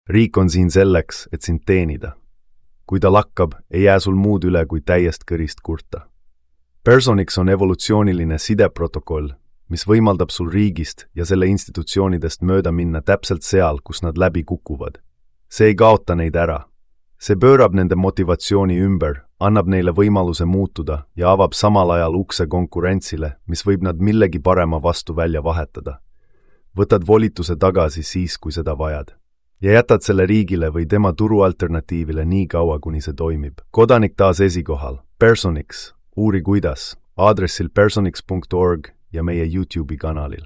Riik on siin selleks, et sind teenida. Kui ta lakkab, ei jää sul muud üle kui täiest kõrist kurta. Personix on evolutsiooniline sideprotokoll, mis võimaldab sul riigist ja selle institutsioonidest mööda minna täpselt seal, kus nad läbi kukuvad. See ei kaota neid ära. See pöörab nende motivatsiooni ümber, annab neile võimaluse muutuda ja avab samal ajal ukse konkurentsile, mis võib nad millegi parema vastu välja vahetada. Võtad volituse tagasi siis, kui seda vajad. Ja jätad selle riigile või tema turualternatiivile nii kaua, kuni see toimib. Kodanik taas esikohal. Personix. Uuri kuidas. Aadressil personix.org ja meie YouTube'i kanalil.